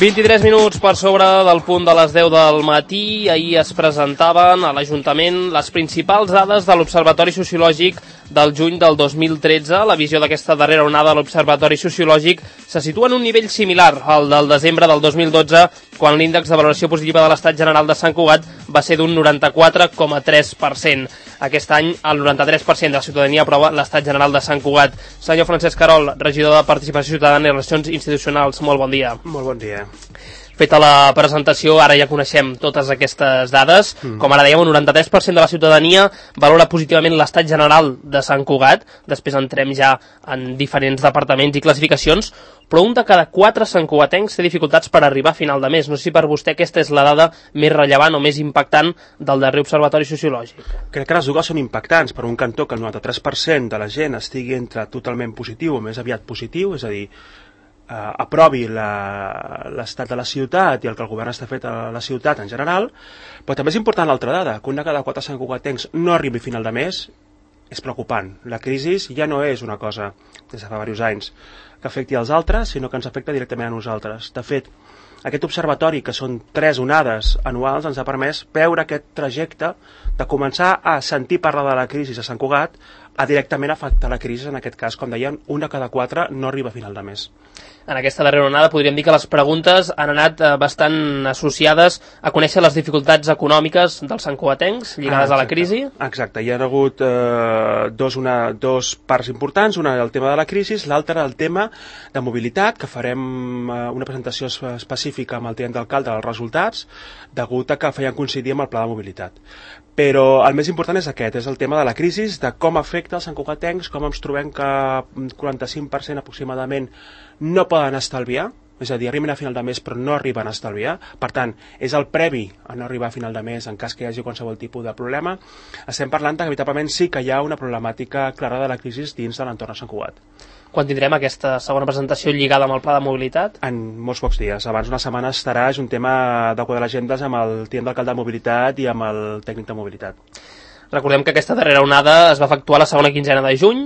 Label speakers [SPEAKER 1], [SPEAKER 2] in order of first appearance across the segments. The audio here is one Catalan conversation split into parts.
[SPEAKER 1] 23 minuts per sobre del punt de les 10 del matí. Ahir es presentaven a l'Ajuntament les principals dades de l'Observatori Sociològic del juny del 2013. La visió d'aquesta darrera onada de l'Observatori Sociològic se situa en un nivell similar al del desembre del 2012, quan l'índex de valoració positiva de l'Estat General de Sant Cugat va ser d'un 94,3%. Aquest any, el 93% de la ciutadania aprova l'Estat General de Sant Cugat. Senyor Francesc Carol, regidor de Participació Ciutadana i Relacions Institucionals, molt bon dia.
[SPEAKER 2] Molt bon dia.
[SPEAKER 1] Feta la presentació, ara ja coneixem totes aquestes dades. Com ara dèiem, un 93% de la ciutadania valora positivament l'Estat General de Sant Cugat. Després entrem ja en diferents departaments i classificacions, però un de cada 4 santcugatencs té dificultats per arribar a final de mes. No sé si per vostè aquesta és la dada més rellevant o més impactant del darrer observatori sociològic.
[SPEAKER 2] Crec que les dues són impactants. Per un cantó, que el 93% de la gent estigui entre totalment positiu o més aviat positiu, és a dir, aprovi l'estat de la ciutat i el que el govern està fet a la ciutat en general, però també és important l'altra dada, que un de cada 4 santcugatencs no arribi a final de mes. És preocupant. La crisi ja no és una cosa, des de fa diversos anys, que afecti als altres, sinó que ens afecta directament a nosaltres. De fet, aquest observatori, que són 3 onades anuals, ens ha permès veure aquest trajecte de començar a sentir parlar de la crisi a Sant Cugat a directament afectar la crisi. En aquest cas, com deien, un de cada 4 no arriba a final de mes.
[SPEAKER 1] En aquesta darrera onada podríem dir que les preguntes han anat bastant associades a conèixer les dificultats econòmiques dels santcugatencs lligades a la crisi.
[SPEAKER 2] Exacte, hi ha hagut dos parts importants, una el tema de la crisi, l'altra el tema de mobilitat, que farem una presentació específica amb el tinent d'alcalde dels resultats, degut a que feien coincidir amb el pla de mobilitat. Però el més important és aquest, és el tema de la crisi, de com afecta els santcugatencs, com ens trobem que un 45% aproximadament no poden estalviar, és a dir, arriben a final de mes però no arriben a estalviar. Per tant, és el previ a no arribar a final de mes en cas que hi hagi qualsevol tipus de problema. Estem parlant que veritablement sí que hi ha una problemàtica clara de la crisi dins de l'entorn de Sant Cugat.
[SPEAKER 1] Quan tindrem aquesta segona presentació lligada amb el pla de mobilitat?
[SPEAKER 2] En molts pocs dies. Abans d'una setmana estarà, és un tema de quadrar agendes amb el tinent d'alcalde de mobilitat i amb el tècnic de mobilitat.
[SPEAKER 1] Recordem que aquesta darrera onada es va efectuar la segona quinzena de juny,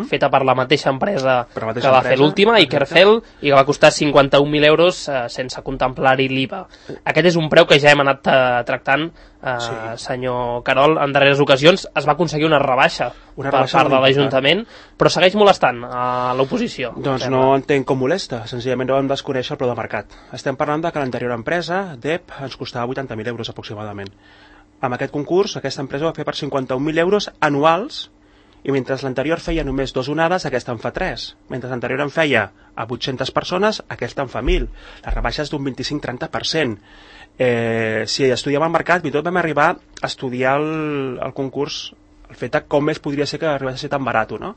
[SPEAKER 1] feta per la mateixa empresa que va fer l'última, Ikerfel, i que va costar 51.000 euros sense contemplar-hi l'IVA. Aquest és un preu que ja hem anat tractant, senyor Carol, en darreres ocasions. Es va aconseguir una rebaixa per part de l'Ajuntament, però segueix molestant a l'oposició.
[SPEAKER 2] Doncs no entenc com molesta, senzillament no vam desconèixer el preu de mercat. Estem parlant de que l'anterior empresa, DEP, ens costava 80.000 euros aproximadament. Amb aquest concurs, aquesta empresa va fer per 51.000 euros anuals, i mentre l'anterior feia només 2 onades, aquesta en fa 3. Mentre l'anterior en feia a 800 persones, aquesta en fa 1.000. La rebaixa és d'un 25-30%. Si estudiem el mercat, fins i tot vam arribar a estudiar el concurs, el fet de com més podria ser que arribés a ser tan barat, no?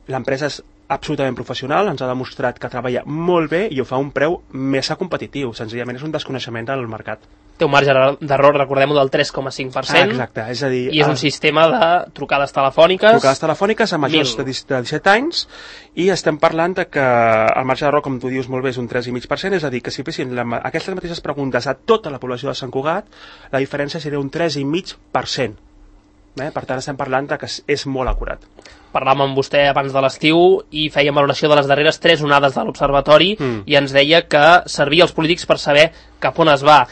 [SPEAKER 2] L'empresa és absolutament professional, ens ha demostrat que treballa molt bé i ho fa a un preu més competitiu. Senzillament és un desconeixement del mercat.
[SPEAKER 1] Té un marge d'error, recordem-ho, del 3,5%.
[SPEAKER 2] Exacte, és a dir...
[SPEAKER 1] I és un sistema de trucades telefòniques...
[SPEAKER 2] Trucades telefòniques a majors de 17 anys, i estem parlant de que el marge d'error, com tu dius molt bé, és un 3,5%, és a dir, que si fessin aquestes mateixes preguntes a tota la població de Sant Cugat, la diferència seria un 3,5%. Per tant, estem parlant que és molt acurat.
[SPEAKER 1] Parlàvem amb vostè abans de l'estiu i fèiem valoració de les darreres 3 onades de l'Observatori i ens deia que servia als polítics per saber cap on es va.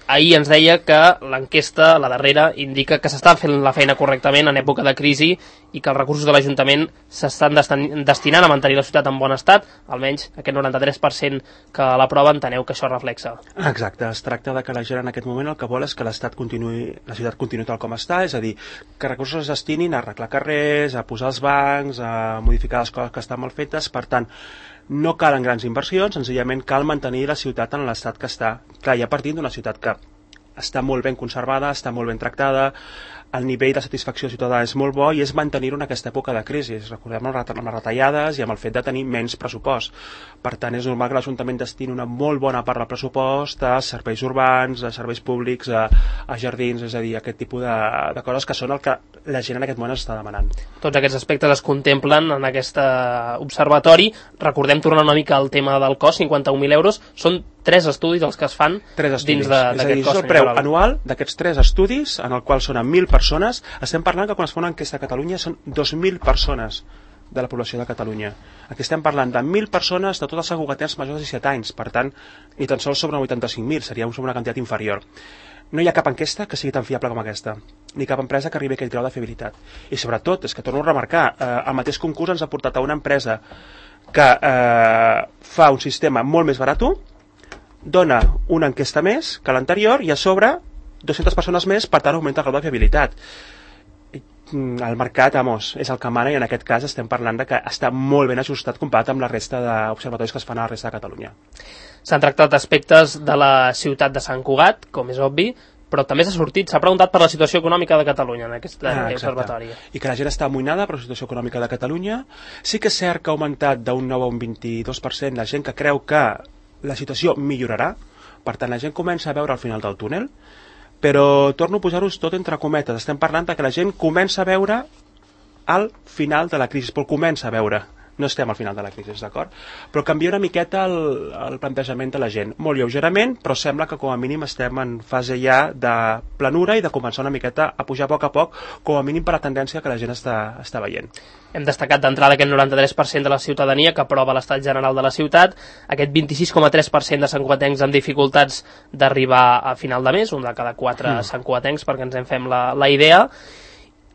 [SPEAKER 1] Ahir ens deia que l'enquesta, la darrera, indica que s'està fent la feina correctament en època de crisi i que els recursos de l'Ajuntament s'estan destinant a mantenir la ciutat en bon estat, almenys aquest 93% que l'aprova, enteneu que això reflexa.
[SPEAKER 2] Exacte, es tracta de que la gent en aquest moment el que vol és que la ciutat continuï tal com està, és a dir, que recursos es destinin a arreglar carrers, a posar els bancs, a modificar les coses que estan mal fetes. Per tant, no calen grans inversions, senzillament cal mantenir la ciutat en l'estat que està. Clar, ja partint d'una ciutat que està molt ben conservada, està molt ben tractada, el nivell de satisfacció ciutadana és molt bo i és mantenir-ho en aquesta època de crisi. Recordem amb les retallades i amb el fet de tenir menys pressupost. Per tant, és normal que l'Ajuntament destini una molt bona part del pressupost a serveis urbans, a serveis públics, a jardins, és a dir, aquest tipus de coses que són el que la gent en aquest moment està demanant.
[SPEAKER 1] Tots aquests aspectes es contemplen en aquest observatori. Recordem, tornar una mica al tema del cost, 51.000 euros, són 3 estudis els que es fan dins d'aquest cost.
[SPEAKER 2] És el preu anual d'aquests 3 estudis, en el qual són 1.000 persones. Estem parlant que quan es fa una enquesta a Catalunya són 2.000 persones de la població de Catalunya. Aquí estem parlant de 1.000 persones de tots els segurgaters majors de 17 anys, per tant, ni tan sols sobre 85.000, seria sobre una quantitat inferior. No hi ha cap enquesta que sigui tan fiable com aquesta, ni cap empresa que arribi a aquell grau de fiabilitat. I sobretot, és que torno a remarcar, el mateix concurs ens ha portat a una empresa que fa un sistema molt més barat, dona una enquesta més que l'anterior i a sobre 200 persones més, per tant augmenta el grau de fiabilitat. El mercat, és el que mana, i en aquest cas estem parlant de que està molt ben ajustat comparat amb la resta d'observatoris que es fan a la resta de Catalunya.
[SPEAKER 1] S'han tractat aspectes de la ciutat de Sant Cugat, com és obvi, però també s'ha preguntat per la situació econòmica de Catalunya en aquest observatori.
[SPEAKER 2] I que la gent està amoïnada per la situació econòmica de Catalunya. Sí que és cert que ha augmentat d'un 9 a un 22% la gent que creu que la situació millorarà, per tant la gent comença a veure al final del túnel, però torno a posar-vos tot entre cometes. Estem parlant que la gent comença a veure al final de la crisi, però comença a veure. No estem al final de la crisi, d'acord? Però canvia una miqueta el plantejament de la gent. Molt lleugerament, però sembla que com a mínim estem en fase ja de planura i de començar una miqueta a pujar a poc, com a mínim per la tendència que la gent està veient.
[SPEAKER 1] Hem destacat d'entrada aquest 93% de la ciutadania que aprova l'estat general de la ciutat, aquest 26,3% de santcugatencs amb dificultats d'arribar a final de mes, un de cada 4 santcugatencs, perquè ens en fem la idea.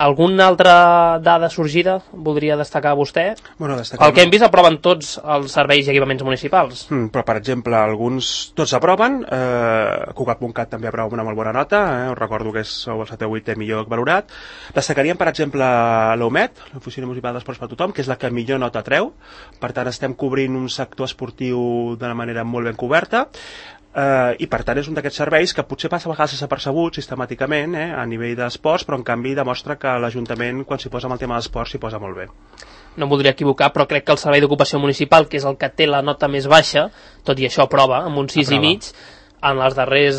[SPEAKER 1] Alguna altra dada sorgida voldria destacar vostè?
[SPEAKER 2] Bueno,
[SPEAKER 1] el que hem vist aproven tots els serveis i equipaments municipals.
[SPEAKER 2] Però, per exemple, tots aproven, Cugat.cat també aprova una molt bona nota, us recordo que és el 7 o 8 millor valorat. Destacaríem, per exemple, l'OMET, l'Oficina Municipal d'Esports per Tothom, que és la que millor nota treu, per tant estem cobrint un sector esportiu d'una manera molt ben coberta, i per tant és un d'aquests serveis que potser passa a vegades desapercebut sistemàticament a nivell d'esports, però en canvi demostra que l'Ajuntament, quan s'hi posa amb el tema d'esports, s'hi posa molt bé.
[SPEAKER 1] No em voldria equivocar, però crec que el Servei d'Ocupació Municipal, que és el que té la nota més baixa, tot i això aprova, amb un 6,5, en els darrers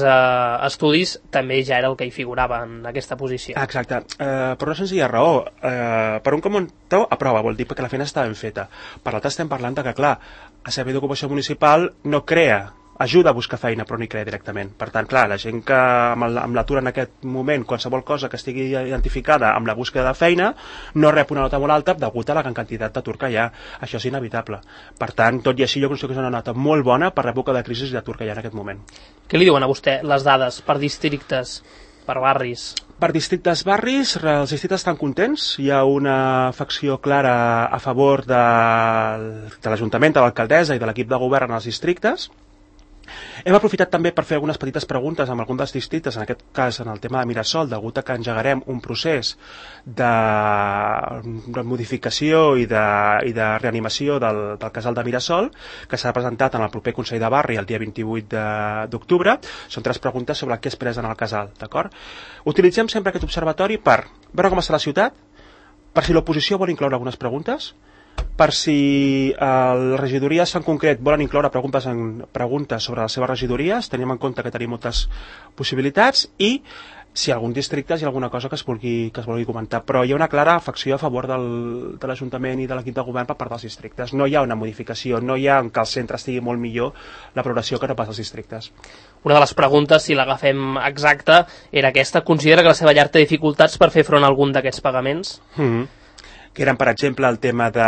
[SPEAKER 1] estudis també ja era el que hi figurava en aquesta posició.
[SPEAKER 2] Exacte, per una senzilla raó. Per un comentó aprova, vol dir que la feina està ben feta. Per l'altre estem parlant que, clar, el Servei d'Ocupació Municipal no crea, ajuda a buscar feina, però no hi crea directament. Per tant, clar, la gent que amb l'atur en aquest moment, qualsevol cosa que estigui identificada amb la búsqueda de feina, no rep una nota molt alta degut a la gran quantitat d'atur que hi ha. Això és inevitable. Per tant, tot i així, jo considero que és una nota molt bona per l'època de crisi d'atur que hi ha en aquest moment.
[SPEAKER 1] Què li diuen a vostè les dades per districtes, per barris?
[SPEAKER 2] Per districtes, barris, els districtes estan contents. Hi ha una facció clara a favor de l'Ajuntament, de l'alcaldessa i de l'equip de govern en els districtes. Hem aprofitat també per fer algunes petites preguntes amb alguns dels districtes, en aquest cas en el tema de Mirasol, degut a que engegarem un procés de modificació i de reanimació del casal de Mirasol, que s'ha presentat en el proper Consell de Barri el dia 28 d'octubre. Són 3 preguntes sobre què es presen en el casal, d'acord? Utilitzem sempre aquest observatori per veure com està la ciutat, per si l'oposició vol incloure algunes preguntes, per si les regidories en concret volen incloure preguntes sobre les seves regidories, tenim en compte que tenim moltes possibilitats, i si algun districte hi ha alguna cosa que es vulgui comentar, però hi ha una clara afecció a favor de l'Ajuntament i de l'equip de govern per part dels districtes. No hi ha una modificació, no hi ha que el centre estigui molt millor la progressió que no pas als districtes.
[SPEAKER 1] Una de les preguntes, si l'agafem exacta, era aquesta: considera que la seva llar té dificultats per fer front a algun d'aquests pagaments?
[SPEAKER 2] Que eren, per exemple, el tema de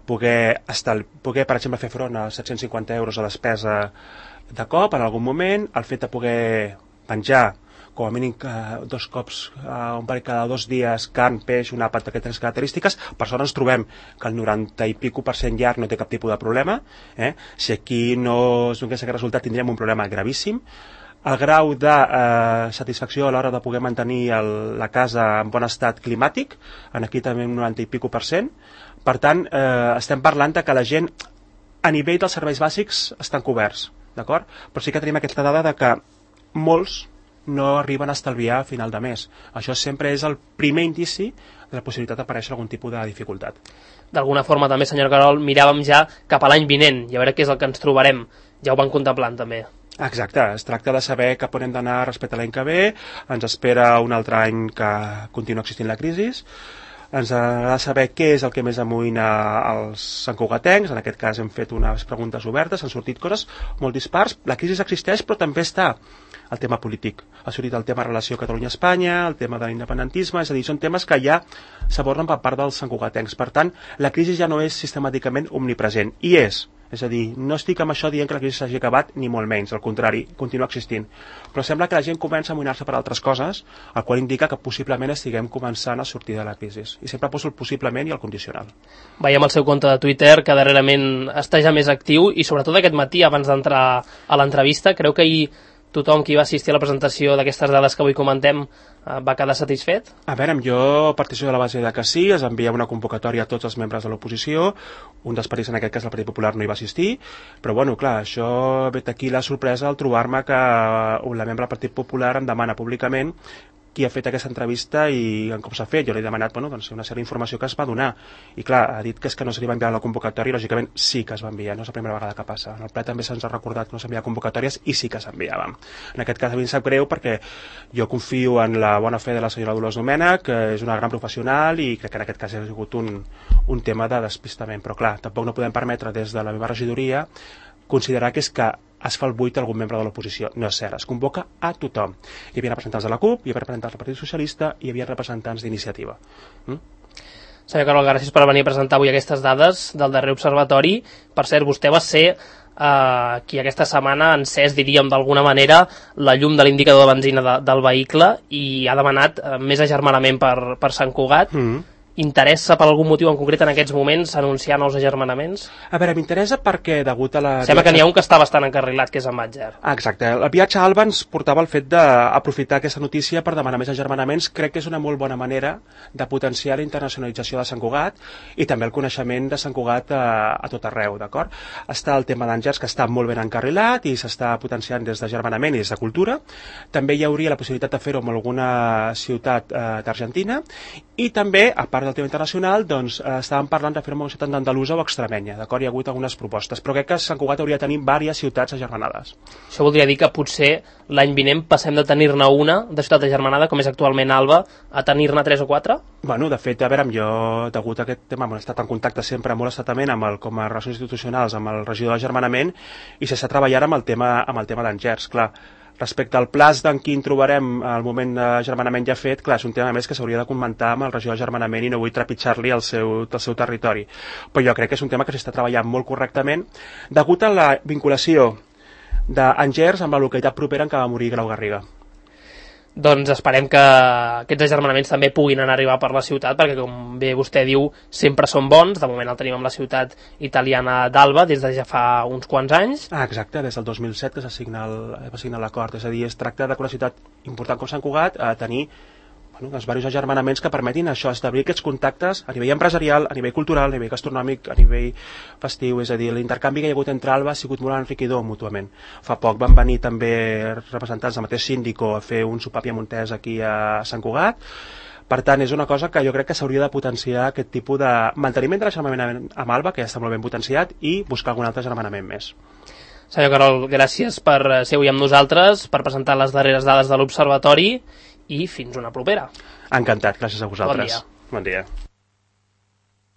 [SPEAKER 2] poder, per exemple, fer front a 750 euros de despesa de cop en algun moment, el fet de poder menjar com a mínim 2 cops, un parell cada 2 dies, carn, peix, un àpat d'aquestes característiques. Per sort ens trobem que el 90 i pico % llarg no té cap tipus de problema. Si aquí no es donés aquest resultat tindríem un problema gravíssim. El grau de satisfacció a l'hora de poder mantenir la casa en bon estat climàtic, aquí també un 90 i pico %. Per tant, estem parlant que la gent, a nivell dels serveis bàsics, estan coberts, d'acord? Però sí que tenim aquesta dada de que molts no arriben a estalviar a final de mes. Això sempre és el primer indici de la possibilitat d'aparèixer algun tipus de dificultat.
[SPEAKER 1] D'alguna forma també, senyor Carol, miràvem ja cap a l'any vinent i a veure què és el que ens trobarem. Ja ho van contemplant també.
[SPEAKER 2] Exacte, es tracta de saber cap on hem d'anar respecte a l'any que ve. Ens espera un altre any que continua existint la crisi. ens agrada saber què és el que més amoïna als santcugatencs. En aquest cas hem fet unes preguntes obertes, han sortit coses molt dispars. La crisi existeix, però també està el tema polític. Ha sortit el tema relació Catalunya-Espanya, el tema de l'independentisme, és a dir, són temes que ja s'aborden per part dels santcugatencs. Per tant, la crisi ja no és sistemàticament omnipresent, i és a dir, no estic amb això dient que la crisi s'hagi acabat, ni molt menys, al contrari, continua existint. Però sembla que la gent comença a amoïnar-se per altres coses, el qual indica que possiblement estiguem començant a sortir de la crisi. I sempre poso el possiblement i el condicional.
[SPEAKER 1] Veiem el seu compte de Twitter, que darrerament està ja més actiu, i sobretot aquest matí, abans d'entrar a l'entrevista, creu que ahir tothom qui va assistir a la presentació d'aquestes dades que avui comentem va quedar satisfet?
[SPEAKER 2] A veure, jo participo de la base de que sí, es envia una convocatòria a tots els membres de l'oposició, un dels partits, en aquest cas el Partit Popular, no hi va assistir, però bueno, clar, això ve aquí la sorpresa al trobar-me que la membre del Partit Popular em demana públicament qui ha fet aquesta entrevista i com s'ha fet. Jo li he demanat doncs, una sèrie d'informació que es va donar, i clar, ha dit que és que no se li va enviar la convocatòria, i lògicament sí que es va enviar, no és la primera vegada que passa. En el ple també se'ns ha recordat que no s'envia convocatòries, i sí que s'enviaven. En aquest cas a mi em sap greu perquè jo confio en la bona fe de la senyora Dolors Domènech, que és una gran professional, i crec que en aquest cas ha sigut un tema de despistament, però clar, tampoc no podem permetre des de la meva regidoria considerar que és que es fa el buit a algun membre de l'oposició. No és cert, es convoca a tothom. Hi havia representants de la CUP, hi havia representants del Partit Socialista, hi havia representants d'Iniciativa.
[SPEAKER 1] Senyor Carol, gràcies per venir a presentar avui aquestes dades del darrer observatori. Per cert, vostè va ser qui aquesta setmana ha encès, diríem d'alguna manera, la llum de l'indicador de benzina del vehicle i ha demanat més agermanament per Sant Cugat. Interessa per algun motiu en concret en aquests moments anunciar nous agermanaments?
[SPEAKER 2] A veure, m'interessa perquè degut a la...
[SPEAKER 1] Sembla que n'hi ha un que està bastant encarrilat, que és en Batger.
[SPEAKER 2] Exacte. El viatge a Alba ens portava el fet d'aprofitar aquesta notícia per demanar més agermanaments. Crec que és una molt bona manera de potenciar la internacionalització de Sant Cugat i també el coneixement de Sant Cugat a tot arreu, d'acord? Està el tema d'Àngers, que està molt ben encarrilat i s'està potenciant des d'agermanament i des de cultura. També hi hauria la possibilitat de fer-ho amb alguna ciutat d'Argentina, i també, a part del tema internacional, doncs estàvem parlant de fer-ho amb una ciutat d'Andalusa o Extremenya, d'acord? Hi ha hagut algunes propostes, però crec que Sant Cugat hauria de tenir diverses ciutats agermanades.
[SPEAKER 1] Això voldria dir que potser l'any vinent passem de tenir-ne una de ciutat agermanada, com és actualment Alba, a tenir-ne 3 o 4?
[SPEAKER 2] Bueno, de fet, a veure, jo, degut a aquest tema, he estat en contacte sempre molt estatament com a relacions institucionals amb el regidor d'agermanament, i s'està treballant amb el tema d'Angers, clar. Respecte al plaç d'en quin trobarem al moment d'agermanament ja fet, clar, és un tema més que s'hauria de comentar amb el regidor d'agermanament i no vull trepitjar-li el seu territori. Però jo crec que és un tema que s'està treballant molt correctament degut a la vinculació d'Angers amb la localitat propera en què va morir Grau Garriga.
[SPEAKER 1] Doncs esperem que aquests agermanaments també puguin anar a arribar per la ciutat, perquè com bé vostè diu, sempre són bons. De moment el tenim amb la ciutat italiana d'Alba des de ja fa uns quants anys.
[SPEAKER 2] Exacte, des del 2007 que s'assigna l'acord, és a dir, es tracta de que una ciutat important com Sant Cugat a tenir els diversos agermanaments que permetin això, establir aquests contactes a nivell empresarial, a nivell cultural, a nivell gastronòmic, a nivell festiu, és a dir, l'intercanvi que hi ha hagut entre Alba ha sigut molt enriquidor mútuament. Fa poc van venir també representants del mateix síndico a fer un sopar piamontès aquí a Sant Cugat. Per tant, és una cosa que jo crec que s'hauria de potenciar, aquest tipus de manteniment de l'agermanament amb Alba, que ja està molt ben potenciat, i buscar algun altre agermanament més.
[SPEAKER 1] Senyor Carol, gràcies per ser avui amb nosaltres, per presentar les darreres dades de l'Observatori, i fins una propera.
[SPEAKER 2] Encantat, gràcies a vosaltres.
[SPEAKER 1] Bon dia.
[SPEAKER 2] Bon dia.